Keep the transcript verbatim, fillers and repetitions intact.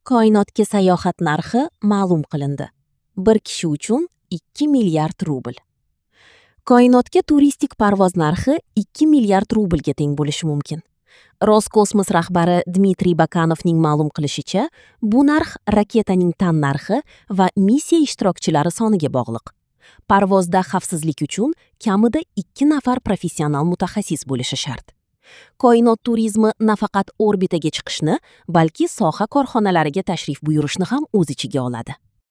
Koinotga sayohat narxi ma'lum qilindi. Bir kishi uchun ikki milliard rubl. Koinotga turistik parvoz narxi ikki milliard rublga teng bo'lishi mumkin. Roskosmos rahbari Dmitriy Bakanovning ma'lum qilishicha, bu narx raketaning tan narxi va missiya ishtirokchilari soniga bog'liq. Parvozda xavfsizlik uchun kamida ikki nafar professional mutaxassis bo'lishi shart. Koinot turizmi nafaqat orbitaga chiqishni, balki soha korxonalariga tashrif buyurishni ham o'z ichiga oladi.